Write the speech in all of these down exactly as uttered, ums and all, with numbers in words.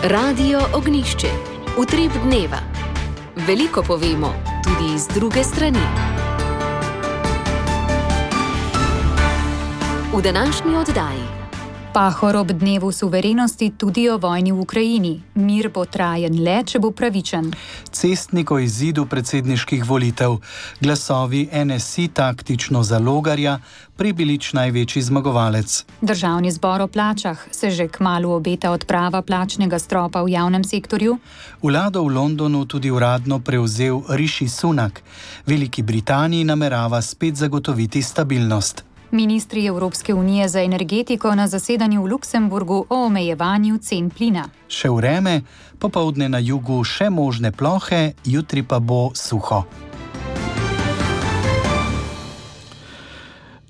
Radio Ognjišče. Utrip dneva. Veliko povemo, tudi iz druge strani. V današnji oddaji. Pahor ob dnevu suverenosti tudi o vojni v Ukrajini. Mir bo trajen le, če bo pravičen. Cestnik o izidu predsedniških volitev. Glasovi N S I taktično za Logarja, Prebilič največji zmagovalec. Državni zbor o plačah. Se že kmalu obeta odprava plačnega stropa v javnem sektorju? Vlado v Londonu tudi uradno prevzel Rishi Sunak. Veliki Britaniji namerava spet zagotoviti stabilnost. Ministri Evropske unije za energetiko na zasedanju v Luksemburgu o omejevanju cen plina. Še vreme, popoldne na jugu še možne plohe, jutri pa bo suho.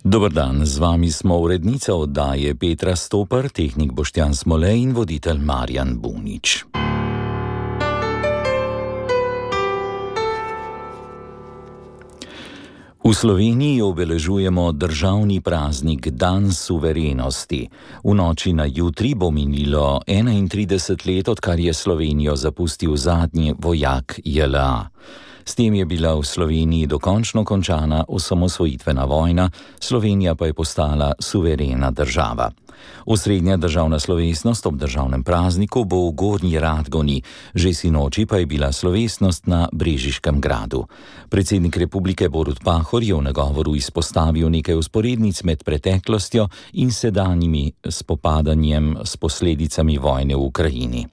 Dober dan, z vami smo urednica oddaje Petra Stopar, tehnik Boštjan Smolej in voditelj Marjan Bunič. V Sloveniji obeležujemo državni praznik Dan suverenosti. V noči na jutri bo minilo enaintrideset let, odkar je Slovenijo zapustil zadnji vojak J L A. S tem je bila v Sloveniji dokončno končana osamosvojitvena vojna, Slovenija pa je postala suverena država. Osrednja državna slovesnost ob državnem prazniku bo v Gornji Radgoni, že sinoči pa je bila slovesnost na Brežiškem gradu. Predsednik republike Borut Pahor je v nagovoru izpostavil nekaj vzporednic med preteklostjo in sedanjimi spopadanjem s posledicami vojne v Ukrajini.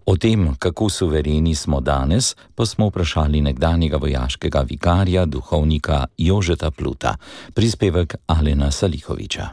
O tem, kako suvereni smo danes, pa smo vprašali nekdanjega vojaškega vikarja, duhovnika Jožeta Pluta. Prispevek Alena Salihoviča.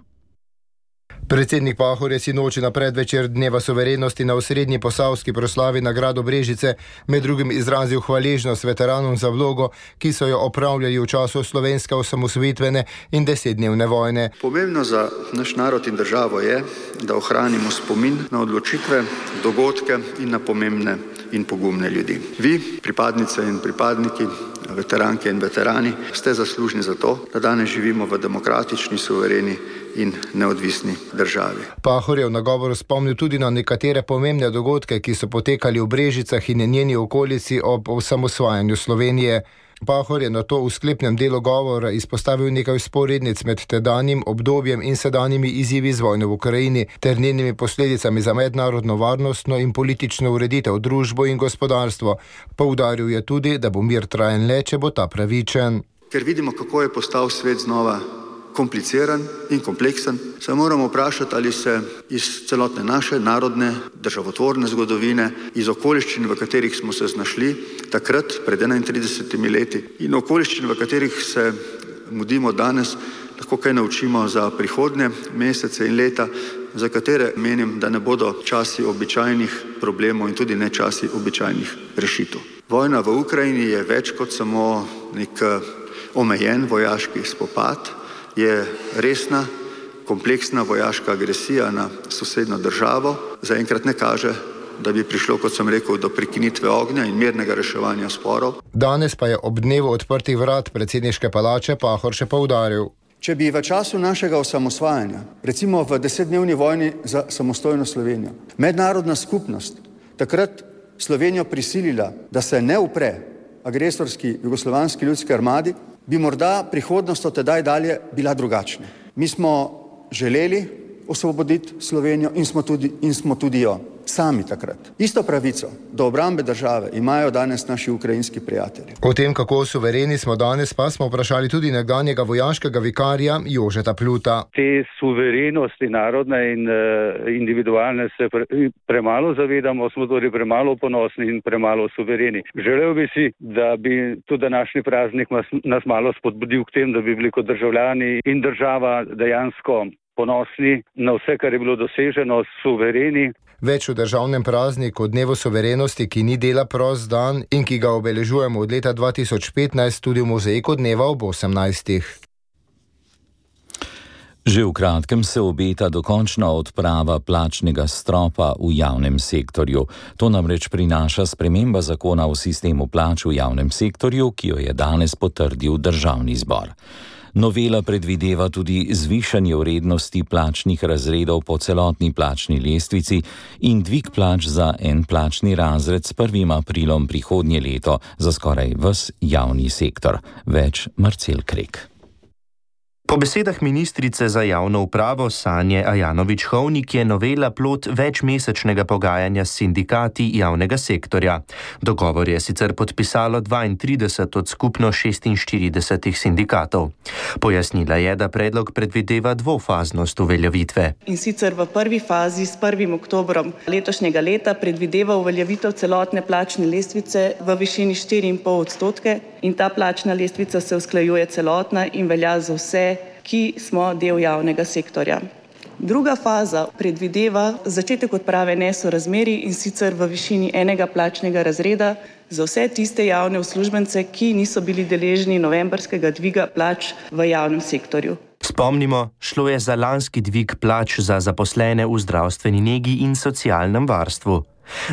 Predsednik Pahor je sinoči na predvečer dneva suverenosti na osrednji posavski proslavi na gradu Brežice med drugim izrazil hvaležnost veteranom za vlogo, ki so jo opravljali v času slovenske osamosvojitvene in desetdnevne vojne. Pomembno za naš narod in državo je, da ohranimo spomin na odločitve, dogodke in na pomembne in pogumne ljudi. Vi, pripadnice in pripadniki, veteranke in veterani, ste zaslužni za to, da danes živimo v demokratični, suvereni in neodvisni državi. Pahor je v nagovoru spomnil tudi na nekatere pomembne dogodke, ki so potekali v Brežicah in njeni okolici ob osamosvajanju Slovenije. Pahor je nato v sklepnem delu govora izpostavil nekaj vzporednic med tedanjim obdobjem in sedanjimi izzivi z vojno v Ukrajini ter njenimi posledicami za mednarodno varnostno in politično ureditev, družbo in gospodarstvo. Poudaril je tudi, da bo mir trajen le, če bo ta pravičen. Ker vidimo, kako je postal svet znova kompliciran in kompleksen, se moramo vprašati, ali se iz celotne naše narodne, državotvorne zgodovine, iz okoliščin, v katerih smo se znašli takrat, pred enaintridesetimi leti, in okoliščin, v katerih se mudimo danes, lahko kaj naučimo za prihodnje mesece in leta, za katere menim, da ne bodo časi običajnih problemov in tudi ne časi običajnih rešitev. Vojna v Ukrajini je več kot samo nek omejen vojaški spopad, je resna, kompleksna vojaška agresija na sosednjo državo. Zaenkrat ne kaže, da bi prišlo, kot sem rekel, do prekinitve ognja in mirnega reševanja sporov. Danes pa je ob dnevu odprtih vrat predsedniške palače Pahor še poudaril. Če bi v času našega osamosvajanja, recimo v desetdnevni vojni za samostojno Slovenijo, mednarodna skupnost takrat Slovenijo prisilila, da se ne upre agresorski jugoslovanski ljudski armadi, bi morda prihodnost od tedaj dalje bila drugačna. Mi smo želeli osvoboditi Slovenijo in smo tudi, in smo tudi jo sami takrat. Isto pravico do obrambe države imajo danes naši ukrajinski prijatelji. O tem, kako suvereni smo danes, pa smo vprašali tudi nekdanjega vojaškega vikarja Jožeta Pluta. Te suverenosti narodne in uh, individualne se pre, premalo zavedamo, smo torej premalo ponosni in premalo suvereni. Želel bi si, da bi tudi današnji praznik nas, nas malo spodbudil k tem, da bi bili kot državljani in država dejansko ponosni na vse, kar je bilo doseženo, suvereni. Več v državnem prazniku dnevu suverenosti, ki ni dela prost dan in ki ga obeležujemo od leta dva tisoč petnajst tudi v mozaiku dneva ob osemnajstih. Že v kratkem se obeta dokončna odprava plačnega stropa v javnem sektorju. To namreč prinaša sprememba zakona o sistemu plač v javnem sektorju, ki jo je danes potrdil Državni zbor. Novela predvideva tudi zvišanje vrednosti plačnih razredov po celotni plačni lestvici in dvig plač za en plačni razred s prvim aprilom prihodnje leto za skoraj ves javni sektor. Več Marcel Krek. Po besedah ministrice za javno upravo Sanje Ajanović-Hovnik je novela plod večmesečnega pogajanja s sindikati javnega sektorja. Dogovor je sicer podpisalo dvaintrideset od skupno šestinštiridesetih sindikatov. Pojasnila je, da predlog predvideva dvofaznost uveljavitve. In sicer v prvi fazi s prvim oktobrom letošnjega leta predvideva uveljavitev celotne plačne lestvice v višini štiri in pol odstotke in ta plačna lestvica se usklajuje celotna in velja za vse, ki smo del javnega sektorja. Druga faza predvideva začetek odprave nesorazmerij in sicer v višini enega plačnega razreda za vse tiste javne uslužbence, ki niso bili deležni novembrskega dviga plač v javnem sektorju. Spomnimo, šlo je za lanski dvig plač za zaposlene v zdravstveni negi in socialnem varstvu.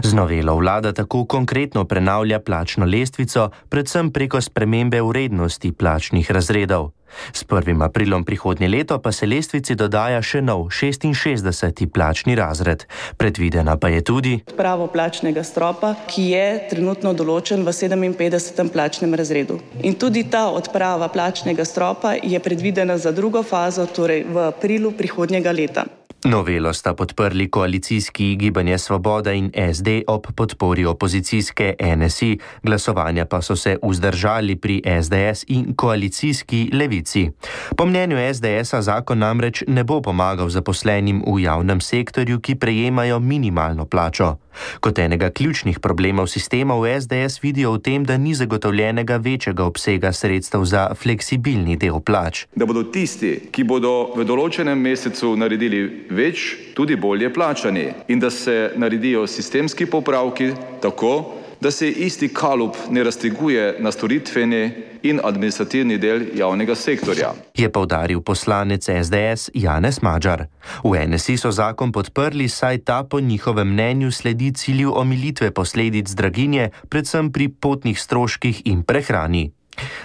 Z novelo vlada tako konkretno prenavlja plačno lestvico, predvsem preko spremembe vrednosti plačnih razredov. S prvim aprilom prihodnje leto pa se lestvici dodaja še nov šestinšestdeseti plačni razred. Predvidena pa je tudi odpravo plačnega stropa, ki je trenutno določen v sedeminpetdesetem plačnem razredu. In tudi ta odprava plačnega stropa je predvidena za drugo fazo, torej v aprilu prihodnjega leta. Novelo sta podprli koalicijski Gibanje Svoboda in es de ob podpori opozicijske en es i, glasovanja pa so se vzdržali pri es de es in koalicijski Levici. Po mnenju es de esa zakon namreč ne bo pomagal zaposlenim v javnem sektorju, ki prejemajo minimalno plačo. Kot enega ključnih problemov sistema v es de es vidijo v tem, da ni zagotovljenega večjega obsega sredstev za fleksibilni del plač. Da bodo tisti, ki bodo v določenem mesecu naredili več, tudi bolje plačani in da se naredijo sistemski popravki tako, da se isti kalup ne razteguje na storitveni in administrativni del javnega sektorja. Je poudaril poslanec es de es Janez Madžar. V en es i so zakon podprli, saj ta po njihovem mnenju sledi cilju omilitve posledic draginje, predvsem pri potnih stroških in prehrani.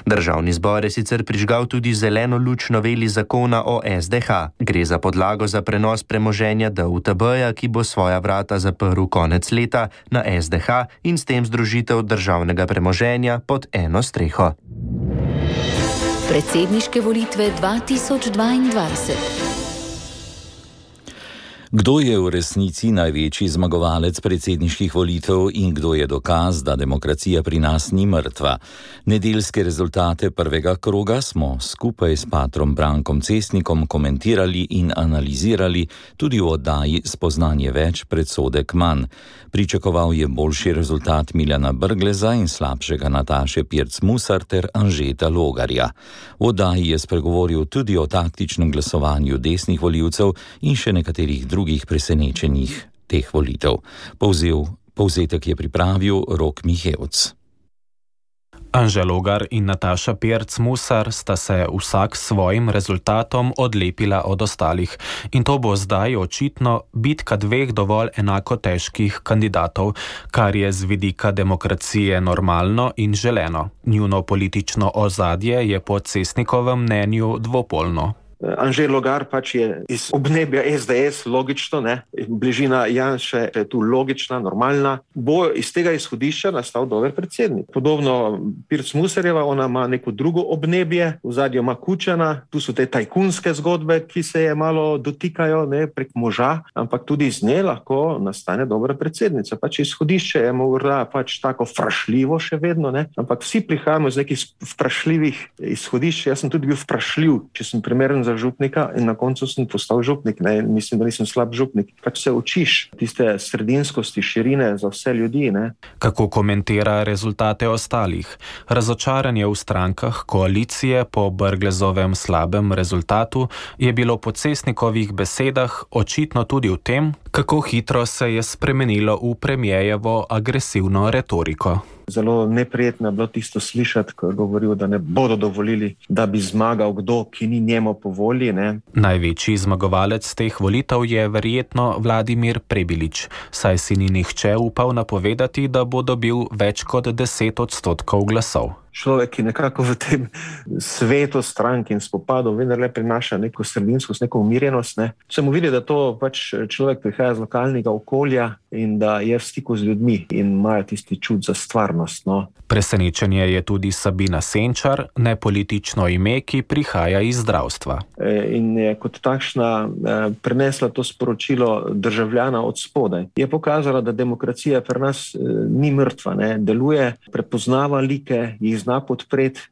Državni zbor je sicer prižgal tudi zeleno luč noveli zakona o es de ha. Gre za podlago za prenos premoženja de u te beja, ki bo svoja vrata zaprl konec leta na es de ha in s tem združitev državnega premoženja pod eno streho. Predsedniške volitve dva tisoč dvaindvajset. Kdo je v resnici največji zmagovalec predsedniških volitev in kdo je dokaz, da demokracija pri nas ni mrtva? Nedeljske rezultate prvega kroga smo skupaj s patrom Brankom Cestnikom komentirali in analizirali tudi v oddaji Spoznanje več, predsodek manj. Pričakoval je boljši rezultat Miljana Brgleza in slabšega Nataše Pirc Musar ter Anžeta Logarja. V oddaji je spregovoril tudi o taktičnem glasovanju desnih volivcev in še nekaterih drugih drugih presenečenjih teh volitev. Povzel, povzetek je pripravil Rok Mihevc. Anže Logar in Nataša Pirc Musar sta se vsak s svojim rezultatom odlepila od ostalih. In to bo zdaj očitno bitka dveh dovolj enako težkih kandidatov, kar je z vidika demokracije normalno in želeno. Njuno politično ozadje je po Cestnikovem mnenju dvopolno. Anže Logar pač je iz obnebja es de es, logično, ne? Bližina Janše je tu logična, normalna. Bo iz tega izhodišča nastal dober predsednik. Podobno Pirc Musarjeva, ona ima neko drugo obnebje, v zadju ima Kučana, tu so te tajkunske zgodbe, ki se je malo dotikajo, ne, prek moža, ampak tudi iz nje lahko nastane dobra predsednica. Pač izhodišče je morda pač tako vprašljivo še vedno, ne? Ampak vsi prihajamo iz nekih vprašljivih izhodišč. Jaz sem tudi bil vprašljiv, če sem primeren za župnika in na koncu sem postal župnik. Ne? Mislim, da nisem slab župnik. Pač se učiš tiste sredinskosti, širine za vse ljudi. Ne? Kako komentira rezultate ostalih? Razočaranje v strankah koalicije po Brglezovem slabem rezultatu je bilo po Cestnikovih besedah očitno tudi v tem, kako hitro se je spremenilo v premijejevo agresivno retoriko. Zelo neprijetno je bilo tisto slišati, ko je govoril, da ne bodo dovolili, da bi zmagal kdo, ki ni njemu po volji. Ne? Največji zmagovalec teh volitev je verjetno Vladimir Prebilič, saj si ni nihče upal napovedati, da bo dobil več kot deset odstotkov glasov. človek, ki nekako v tem svetu strank in spopadov vendarle prinaša neko sredinskost, neko umirjenost, ne. Se mu vidi, da to pač človek prihaja z lokalnega okolja in da je v stiku z ljudmi in imajo tisti čut za stvarnost, no. Presenečenje je tudi Sabina Senčar, nepolitično ime, ki prihaja iz zdravstva. In je kot takšna prenesla to sporočilo državljana od spodaj. Je pokazala, da demokracija pri nas ni mrtva, ne, deluje, prepoznava like, jih zna podpreti.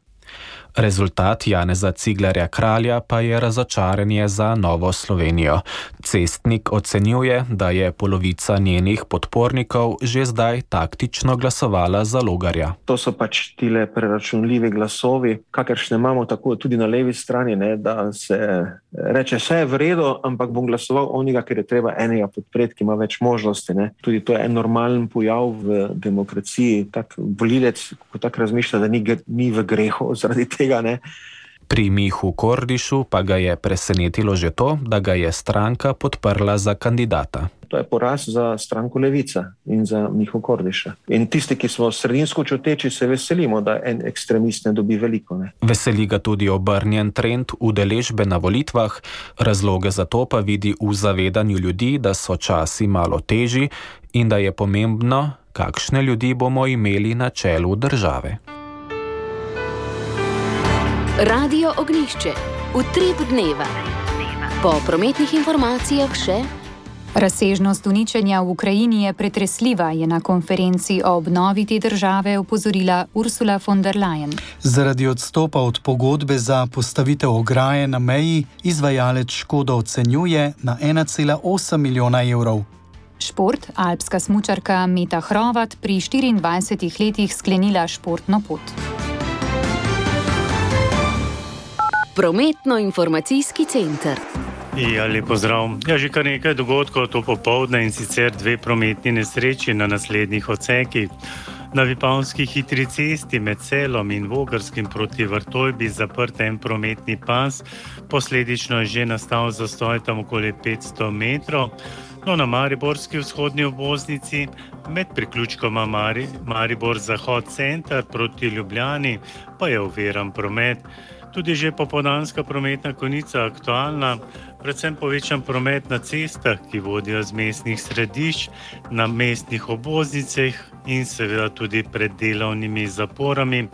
Rezultat Janeza Ciglerja Kralja pa je razočaranje za Novo Slovenijo. Cestnik ocenjuje, da je polovica njenih podpornikov že zdaj taktično glasovala za Logarja. To so pač tile preračunljivi glasovi, kakršne imamo tako tudi na levi strani, ne, da se reče, vse je v redu, ampak bom glasoval onega, ker je treba enega podpreti, ki ima več možnosti. Ne. Tudi to je en normalen pojav v demokraciji. Tak volilec, ko tako razmišlja, da ni, ni v grehu zaradi tega, ne. Pri Mihu Kordišu pa ga je presenetilo že to, da ga je stranka podprla za kandidata. To je poraz za stranko Levica in za Miho Kordiša. In tisti, ki smo sredinsko čuteči, se veselimo, da en ekstremist ne dobi veliko. Ne. Veseli ga tudi obrnjen trend udeležbe na volitvah, razloge za to pa vidi v zavedanju ljudi, da so časi malo težji in da je pomembno, kakšne ljudi bomo imeli na čelu države. Radio Ognjišče. Utrip dneva. Po prometnih informacijah še... Razsežnost uničenja v Ukrajini je pretresljiva, je na konferenci o obnovi te države opozorila Ursula von der Leyen. Zaradi odstopa od pogodbe za postavitev ograje na meji izvajalec škodo ocenjuje na ena cela osem milijona evrov. Šport, alpska smučarka Meta Hrovat pri štiriindvajsetih letih sklenila športno pot. Prometno-informacijski center. Ja, lep pozdrav. Ja, že kar nekaj dogodkov to popoldne in sicer dve prometni nesreči na naslednjih odsekih. Na Vipavski hitri cesti med Celom in Vogrskim proti Vrtojbi zaprt en prometni pas, posledično je že nastal zastoj tam okoli petsto metrov. No, na Mariborski vzhodni obvoznici med priključkoma Mari, Maribor Zahod center proti Ljubljani pa je oviran promet. Tudi že popoldanska prometna konica aktualna, predvsem povečan promet na cestah, ki vodijo z mestnih središč, na mestnih obvoznicah in seveda tudi pred delovnimi zaporami.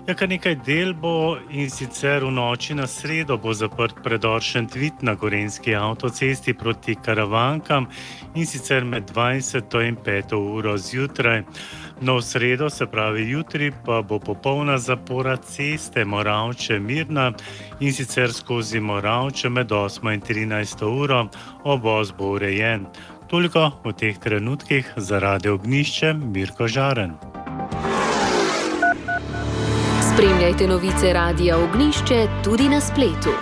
Ja, kar nekaj del bo in sicer v noči na sredo bo zaprt predor Šentvid na Gorenjski avtocesti proti Karavankam in sicer med dvajseto in peto uro zjutraj. No, v sredo, se pravi jutri, pa bo popolna zapora ceste Moravče-Mirna in sicer skozi Moravče med osmo in trinajsto uro, obvoz bo urejen. Toliko v teh trenutkih za Radio Ognjišče, Mirko Žaren. Spremljajte novice Radia Ognjišče tudi na spletu.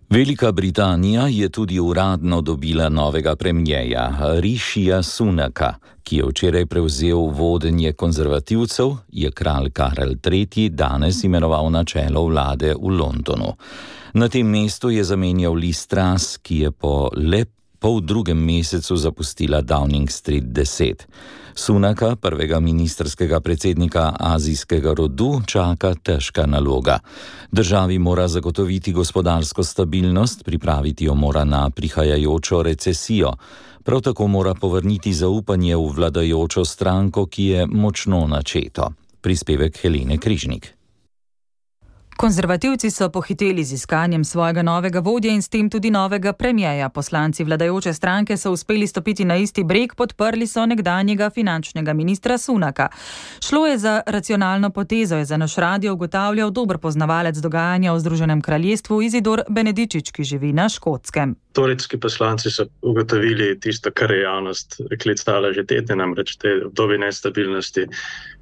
Velika Britanija je tudi uradno dobila novega premierja Rishija Sunaka, ki je včeraj prevzel vodenje konzervativcev, je kralj Karel tretji danes imenoval na čelo vlade v Londonu. Na tem mestu je zamenjal Liz Truss, ki je po le pol drugem mesecu zapustila Downing Street deset. Sunaka, prvega ministerskega predsednika azijskega rodu, čaka težka naloga. Državi mora zagotoviti gospodarsko stabilnost, pripraviti jo mora na prihajajočo recesijo. Prav tako mora povrniti zaupanje v vladajočo stranko, ki je močno načeto. Prispevek Helene Križnik. Konzervativci so pohiteli z iskanjem svojega novega vodja in s tem tudi novega premierja. Poslanci vladajoče stranke so uspeli stopiti na isti breg, podprli so nekdanjega finančnega ministra Sunaka. Šlo je za racionalno potezo, je za naš radio ugotavljal dober poznavalec dogajanja v Združenem kraljestvu Izidor Benedičič, ki živi na Škotskem. Torijski poslanci so ugotovili tisto, kar je javnost klicala že tedne, namreč te obdobje nestabilnosti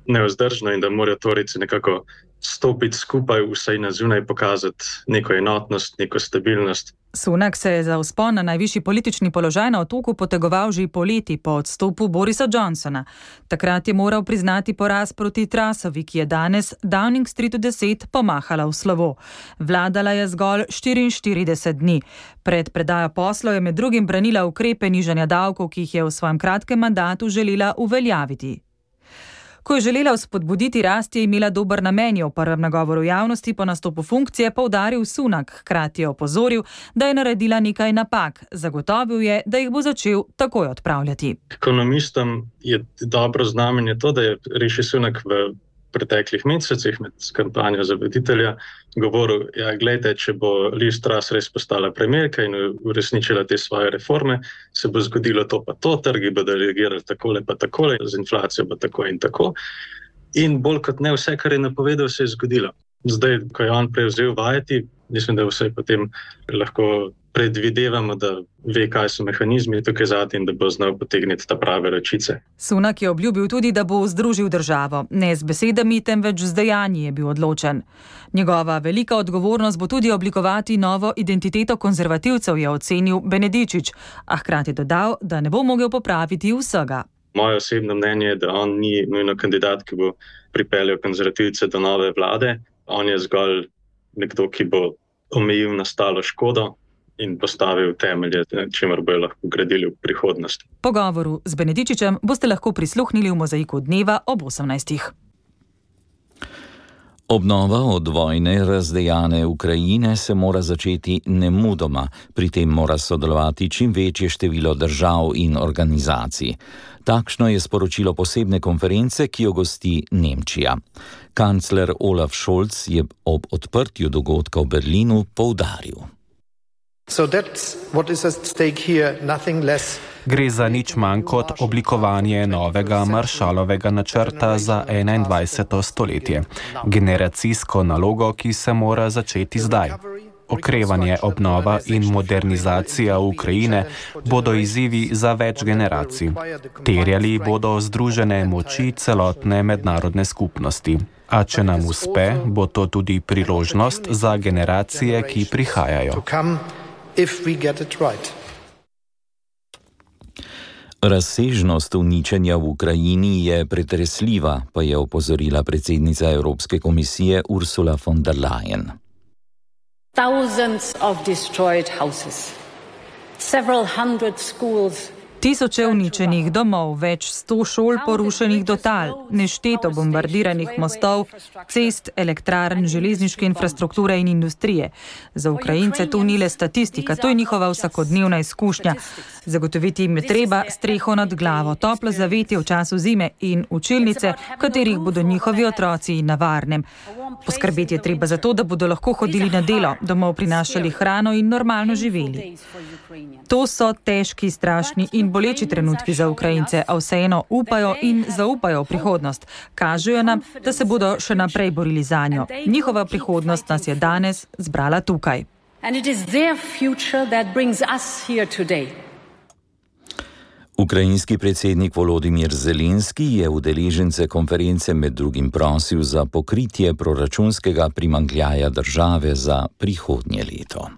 nevzdržno in da morajo Torijci nekako stopiti skupaj, vsaj na zunaj pokazati neko enotnost, neko stabilnost. Sunak se je za vzpon na najvišji politični položaj na otoku potegoval že poleti po odstopu Borisa Johnsona. Takrat je moral priznati poraz proti Trussovi, ki je danes Downing Streetu deset pomahala v slovo. Vladala je zgolj štiriinštirideset dni. Pred predajo poslov je med drugim branila ukrepe nižanja davkov, ki jih je v svojem kratkem mandatu želela uveljaviti. Ko je želela spodbuditi rast, je imela dober namen, je v prvem nagovoru javnosti po nastopu funkcije poudaril Sunak, hkrati je opozoril, da je naredila nekaj napak. Zagotovil je, da jih bo začel takoj odpravljati. Ekonomistom je dobro znamenje to, da je Rishi Sunak v preteklih mesecih med kampanjo za voditelja govoril, ja, gledajte, če bo Liz Truss res postala premijerka in uresničila te svoje reforme, se bo zgodilo to pa to, trgi bodo reagirali takole pa takole, z inflacijo bo tako in tako. In bolj kot ne vse, kar je napovedal, se je zgodilo. Zdaj, ko je on prevzel vajeti, mislim, da vse potem lahko predvidevamo, da ve, kaj so mehanizmi tukaj zadnji in da bo znal potegniti ta prave ročice. Sunak je obljubil tudi, da bo združil državo. Ne z besedami, temveč z dejanji je bil odločen. Njegova velika odgovornost bo tudi oblikovati novo identiteto konzervativcev, je ocenil Benedičič, a hkrati dodal, da ne bo mogel popraviti vsega. Moje osebno mnenje je, da on ni nujno kandidat, ki bo pripeljal konzervativce do nove vlade. On je zgolj nekdo, ki bo omejil nastalo škodo in postavil temelje, čemer bojo lahko gradili v prihodnosti. Pogovoru z Benedičičem boste lahko prisluhnili v Mozaiku dneva ob osemnajstih. Obnova od vojne razdejane Ukrajine se mora začeti nemudoma, pri tem mora sodelovati čim večje število držav in organizacij. Takšno je sporočilo posebne konference, ki jo gosti Nemčija. Kancler Olaf Scholz je ob odprtju dogodka v Berlinu poudaril. So that's what is at stake here, nothing less. Gre za nič manj kot oblikovanje novega Marshallovega načrta za enaindvajseto stoletje. Generacijsko nalogo, ki se mora začeti zdaj. Okrevanje, obnova in modernizacija Ukrajine bodo izzivi za več generacij. Terjali bodo združene moči celotne mednarodne skupnosti. A če nam uspe, bo to tudi priložnost za generacije, ki prihajajo. Razsežnost uničenja v Ukrajini je pretresljiva, pa je opozorila predsednica Evropske komisije Ursula von der Leyen. Thousands of destroyed houses, several hundred schools. Tisoče uničenih domov, več sto šol porušenih do tal, nešteto bombardiranih mostov, cest, elektrarn, železniške infrastrukture in industrije. Za Ukrajince to ni le statistika, to je njihova vsakodnevna izkušnja. Zagotoviti jim je treba streho nad glavo, toplo zavetje v času zime in učilnice, v katerih bodo njihovi otroci na varnem. Poskrbeti je treba za to, da bodo lahko hodili na delo, domov prinašali hrano in normalno živeli. To so težki, strašni in boleči trenutki za Ukrajince, a vseeno upajo in zaupajo v prihodnost. Kažejo nam, da se bodo še naprej borili zanjo. Njihova prihodnost nas je danes zbrala tukaj. Ukrajinski predsednik Volodimir Zelenski je udeležence konference med drugim prosil za pokritje proračunskega primanjkljaja države za prihodnje leto.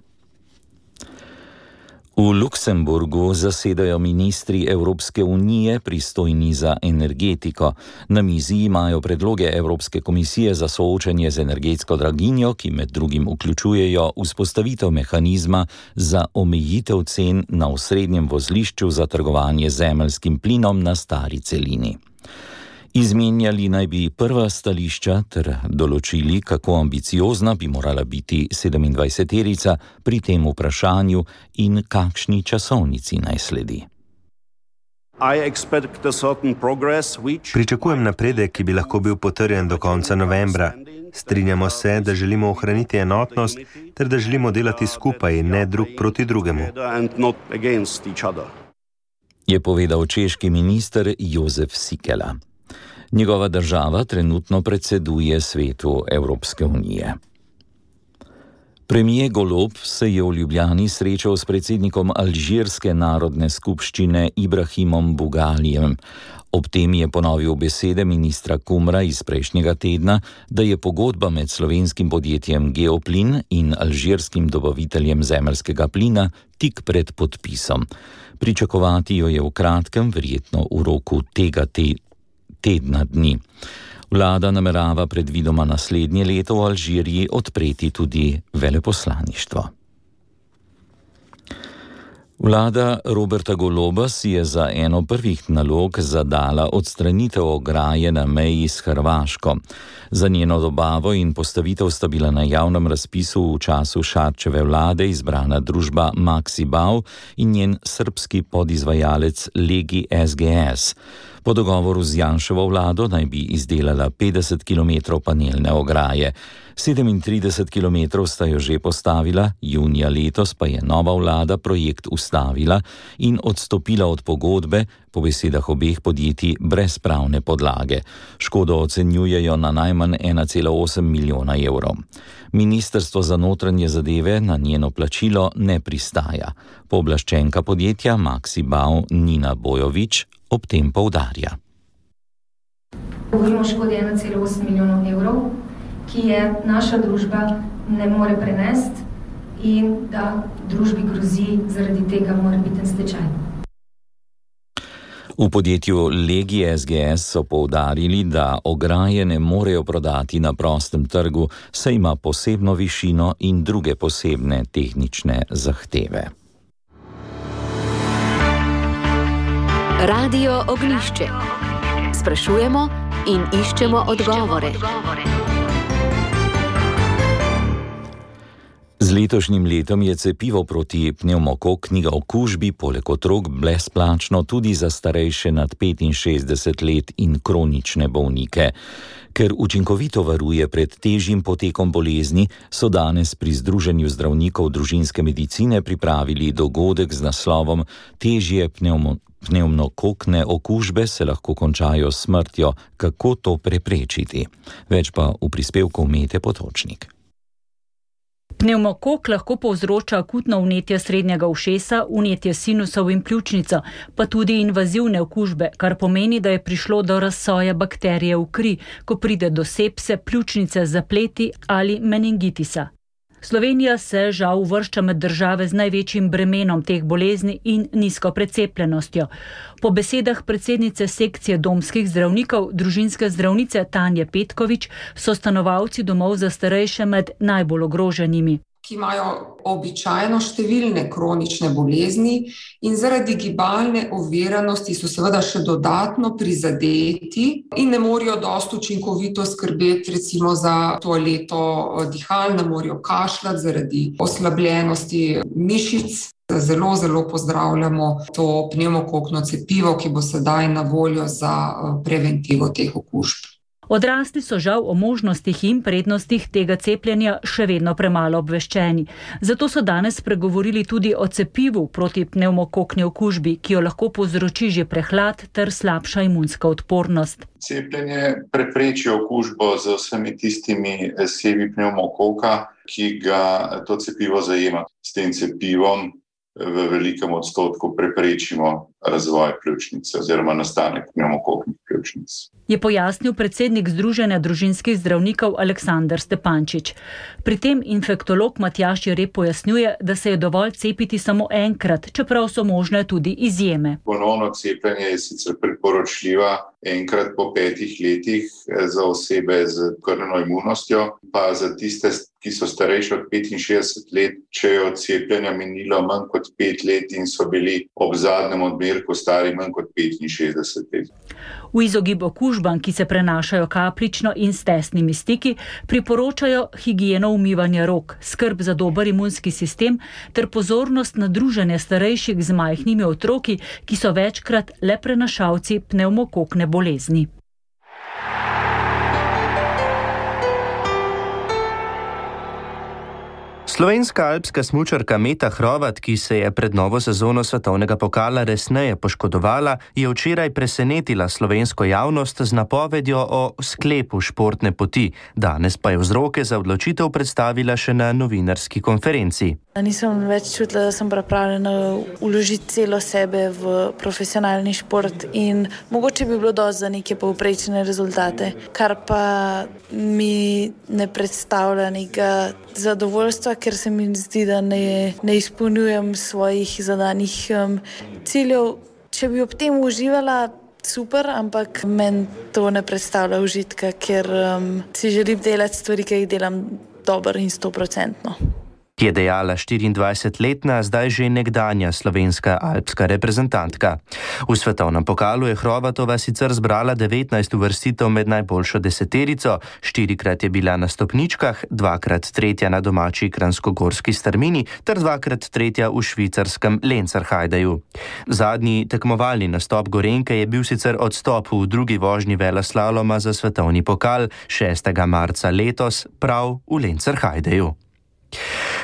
V Luksemburgu zasedajo ministri Evropske unije pristojni za energetiko. Na mizi imajo predloge Evropske komisije za soočanje z energetsko draginjo, ki med drugim vključujejo vzpostavitev mehanizma za omejitev cen na osrednjem vozlišču za trgovanje z zemeljskim plinom na stari celini. Izmenjali naj bi prva stališča ter določili, kako ambiciozna bi morala biti sedemindvajseterica pri tem vprašanju in kakšni časovnici naj sledi. Pričakujem napredek, ki bi lahko bil potrjen do konca novembra. Strinjamo se, da želimo ohraniti enotnost ter da želimo delati skupaj, ne drug proti drugemu. Je povedal češki minister Jozef Sikela. Njegova država trenutno predseduje svetu Evropske unije. Premijer Golob se je v Ljubljani srečal s predsednikom Alžirske narodne skupščine Ibrahimom Bugalijem. Ob tem je ponovil besede ministra Kumra iz prejšnjega tedna, da je pogodba med slovenskim podjetjem Geoplin in alžirskim dobaviteljem zemeljskega plina tik pred podpisom. Pričakovati jo je v kratkem, verjetno v roku tega te, tedna dni. Vlada namerava predvidoma naslednje leto v Alžiriji odpreti tudi veleposlaništvo. Vlada Roberta Goloba si je za eno prvih nalog zadala odstranitev ograje na meji s Hrvaško. Za njeno dobavo in postavitev sta bila na javnem razpisu v času Šarčeve vlade izbrana družba Maxibau in njen srbski podizvajalec Legi S G S. Po dogovoru z Janševo vlado naj bi izdelala petdeset kilometrov panelne ograje. sedemintrideset kilometrov sta jo že postavila, junija letos pa je nova vlada projekt ustavila in odstopila od pogodbe, po besedah obeh podjetij brez pravne podlage. Škodo ocenjujejo na najmanj ena cela osem milijona evrov. Ministrstvo za notranje zadeve na njeno plačilo ne pristaja. Pooblaščenka podjetja Maxibau Nina Bojovič ob tem poudarja. Govorimo o škodi ena cela osem milijonov evrov, ki je naša družba ne more prenesti in da družbi grozi zaradi tega morebiten stečaj. V podjetju Legi S G S so poudarili, da ograje ne morejo prodati na prostem trgu, saj ima posebno višino in druge posebne tehnične zahteve. Radio Ognjišče. Sprašujemo in iščemo odgovore. Z letošnjim letom je cepivo proti pnevmokokni okužbi poleg otrok brezplačno tudi za starejše nad petinšestdeset let in kronične bolnike. Ker učinkovito varuje pred težjim potekom bolezni, so danes pri Združenju zdravnikov družinske medicine pripravili dogodek z naslovom Težje pnevmo, pnevmokokne okužbe se lahko končajo s smrtjo, kako to preprečiti. Več pa v prispevku Mete Potočnik. Pnevmokok lahko povzroča akutno vnetje srednjega ušesa, vnetje sinusov in pljučnico, pa tudi invazivne okužbe, kar pomeni, da je prišlo do razsoja bakterije v kri, ko pride do sepse, pljučnice, zapleti ali meningitisa. Slovenija se žal uvršča med države z največjim bremenom teh bolezni in nizko precepljenostjo. Po besedah predsednice sekcije domskih zdravnikov, družinske zdravnice Tanje Petkovič, so stanovalci domov za starejše med najbolj ogroženimi, ki imajo običajno številne kronične bolezni in zaradi gibalne oviranosti so seveda še dodatno prizadeti in ne morejo dosti učinkovito skrbeti recimo za toaleto dihal, ne morejo kašljati zaradi oslabljenosti mišic. Zelo, zelo pozdravljamo to pnevmokokno cepivo, ki bo sedaj na voljo za preventivo teh okužb. Odrasli so žal o možnostih in prednostih tega cepljenja še vedno premalo obveščeni. Zato so danes spregovorili tudi o cepivu proti pnevmokokni okužbi, ki jo lahko povzroči že prehlad ter slabša imunska odpornost. Cepljenje prepreči okužbo z vsemi tistimi sevi pnevmokoka, ki ga to cepivo zajema. S tem cepivom v velikem odstotku preprečimo razvoj pljučnice oziroma nastanek pnevmokoknih pljučnic. Je pojasnil predsednik Združenja družinskih zdravnikov Aleksander Stepančič. Pri tem infektolog Matjaž Jereb pojasnjuje, da se je dovolj cepiti samo enkrat, čeprav so možne tudi izjeme. Ponovno cepljenje je sicer priporočljiva enkrat po petih letih za osebe z krvno imunostjo, pa za tiste, ki so starejši od petinšestdeset let, če je od cepljenja minilo manj kot pet let in so bili ob zadnjem odmerku stari manj kot petinšestdeset let. V izogib okužbam, ki se prenašajo kapljično in s tesnimi stiki, priporočajo higieno umivanja rok, skrb za dober imunski sistem ter pozornost na druženje starejših z majhnimi otroki, ki so večkrat le prenašalci pnevmokokne bolezni. Slovenska alpska smučarka Meta Hrovat, ki se je pred novo sezono svetovnega pokala resneje poškodovala, je včeraj presenetila slovensko javnost z napovedjo o sklepu športne poti. Danes pa je vzroke za odločitev predstavila še na novinarski konferenci. Nisem več čutila, da sem pripravljena vložiti celo sebe v profesionalni šport in mogoče bi bilo dosti za neke povprečne rezultate, kar pa mi ne predstavlja nekega zadovoljstva, ker se mi zdi, da ne, ne izpolnjujem svojih zadanih um, ciljev. Če bi ob tem uživala, super, ampak meni to ne predstavlja užitka, ker um, si želim delati stvari, ki jih delam dobro in stoprocentno. Je dejala štiriindvajsetletna, zdaj že nekdanja slovenska alpska reprezentantka. V svetovnem pokalu je Hrovatova sicer zbrala devetnajst uvrstitev med najboljšo deseterico, štirikrat je bila na stopničkah, dvakrat tretja na domači kranjskogorski strmini ter dvakrat tretja v švicarskem Lenzerheideju. Zadnji tekmovalni nastop Gorenjke je bil sicer odstop v drugi vožnji veleslaloma za svetovni pokal šestega marca letos prav v Lenzerheideju.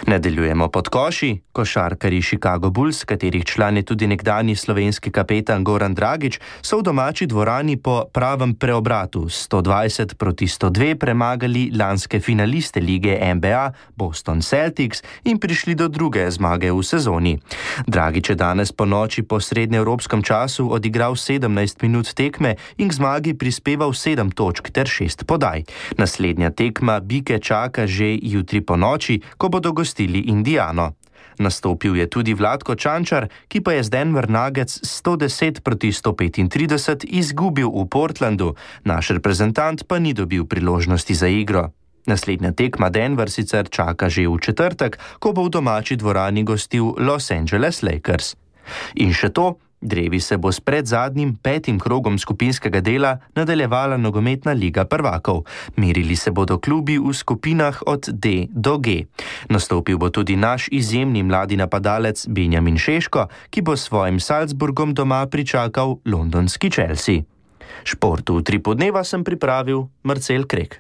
Nadaljujemo pod koši. Košarkarji Chicago Bulls, katerih član je tudi nekdanji slovenski kapetan Goran Dragić, so v domači dvorani po pravem preobratu sto dvajset proti sto dve premagali lanske finaliste lige N B A Boston Celtics in prišli do druge zmage v sezoni. Dragić je danes po noči po srednjeevropskem času odigral sedemnajst minut tekme in k zmagi prispeval sedem točk ter šest podaj. Naslednja tekma Bike čaka že jutri po noči, ko bodo gostili Indiano. Nastopil je tudi Vlatko Čančar, ki pa je z Denver Nuggets sto deset proti sto petintrideset izgubil v Portlandu, naš reprezentant pa ni dobil priložnosti za igro. Naslednja tekma Denver sicer čaka že v četrtek, ko bo v domači dvorani gostil Los Angeles Lakers. In še to, drevi se bo s predzadnjim petim krogom skupinskega dela nadaljevala nogometna liga prvakov. Merili se bodo klubi v skupinah od D do G. Nastopil bo tudi naš izjemni mladi napadalec Benjamin Šeško, ki bo s svojim Salzburgom doma pričakal londonski Chelsea. Športu v tri podneva sem pripravil Marcel Krek.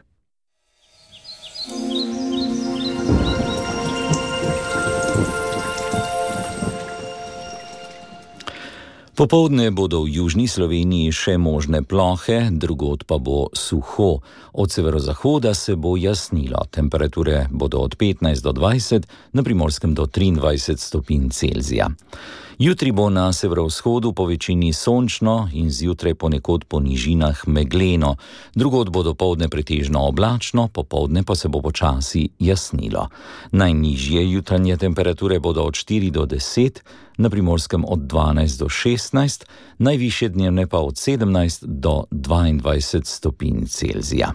Popoldne bodo v južni Sloveniji še možne plohe, drugod pa bo suho. Od severozahoda se bo jasnilo. Temperature bodo od petnajst do dvajset, na Primorskem do triindvajset stopinj Celzija. Jutri bo na severovzhodu po večini sončno in zjutraj ponekod po nižinah megleno. Drugod bo dopoldne pretežno oblačno, popoldne pa se bo počasi jasnilo. Najnižje jutranje temperature bodo od štiri do deset, na Primorskem od dvanajst do šestnajst, najvišje dnevne pa od sedemnajst do dvaindvajset stopinj Celzija.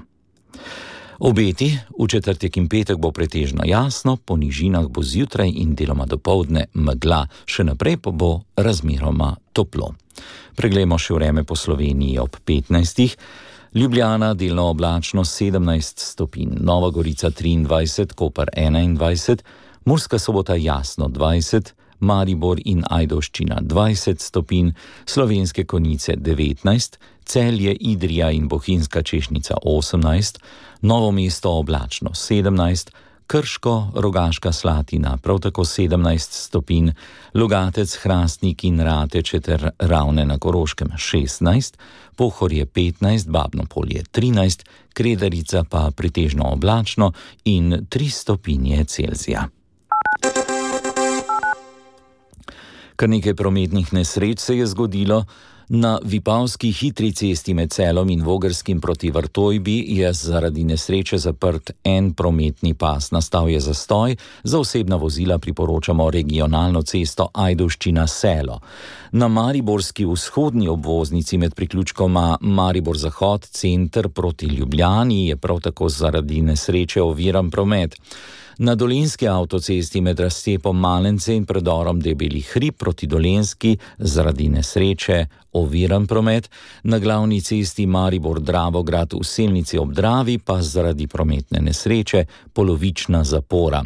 Obeti, v četrtek in petek bo pretežno jasno, po nižinah bo zjutraj in deloma dopoldne megla, še naprej pa bo razmeroma toplo. Preglejmo še vreme po Sloveniji ob petnajstih. Ljubljana delno oblačno sedemnajst stopinj, Nova Gorica triindvajset, Koper enaindvajset, Murska Sobota jasno dvajset, Maribor in Ajdovščina dvajset stopinj, Slovenske Konjice devetnajst, Celje, Idrija in Bohinjska Češnica osemnajst, Novo mesto oblačno sedemnajst, Krško, Rogaška Slatina prav tako sedemnajst stopinj, Logatec, Hrastnik in Rateče ter Ravne na Koroškem šestnajst, Pohorje petnajst, Babno Polje trinajst, Kredarica pa pretežno oblačno in tri stopinje Celzija. Kar nekaj prometnih nesreč se je zgodilo. Na Vipavski hitri cesti med Celom in Vogrskim proti Vrtojbi je zaradi nesreče zaprt en prometni pas. Nastal je zastoj, za osebna vozila priporočamo regionalno cesto Ajdovščina-Selo. Na mariborski vzhodni obvoznici med priključkoma Maribor-Zahod, center proti Ljubljani je prav tako zaradi nesreče oviran promet. Na dolenjski avtocesti med razcepom Malence in predorom Debeli hrib proti Dolenjski zaradi nesreče oviran promet, na glavni cesti Maribor-Dravograd v Selnici ob Dravi pa zaradi prometne nesreče polovična zapora.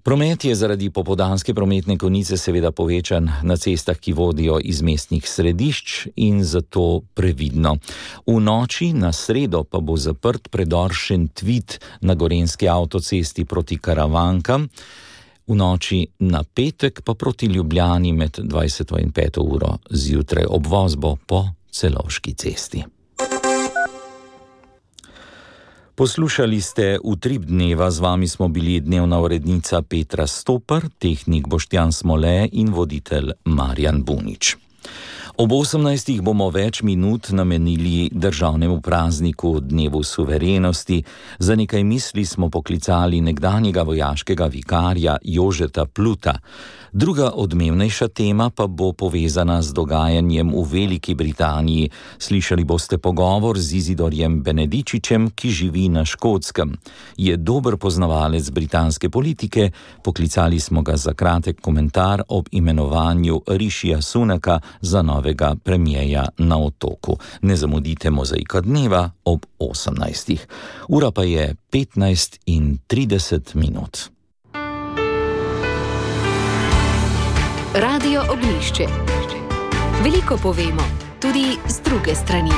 Promet je zaradi popoldanske prometne konice seveda povečan na cestah, ki vodijo iz mestnih središč, in zato previdno. V noči na sredo pa bo zaprt predor Šentvid na gorenjski avtocesti proti Karavankam, v noči na petek pa proti Ljubljani med dvajseto in peto uro zjutraj. Obvoz bo po Celovški cesti. Poslušali ste Utrip dneva, z vami smo bili dnevna urednica Petra Stopar, tehnik Boštjan Smole in voditelj Marjan Bunič. Ob osemnajstih bomo več minut namenili državnemu prazniku Dnevu suverenosti. Za nekaj misli smo poklicali nekdanjega vojaškega vikarja Jožeta Pluta. Druga odmevnejša tema pa bo povezana z dogajanjem v Veliki Britaniji. Slišali boste pogovor z Izidorjem Benedičičem, ki živi na Škotskem. Je dober poznavalec britanske politike, poklicali smo ga za kratek komentar ob imenovanju Rišija Sunaka za novega premijeja na Otoku. Ne zamudite Mozaika dneva ob osemnajstih. Ura pa je petnajst in trideset minut. Radio Ognjišče. Veliko povemo, tudi z druge strani.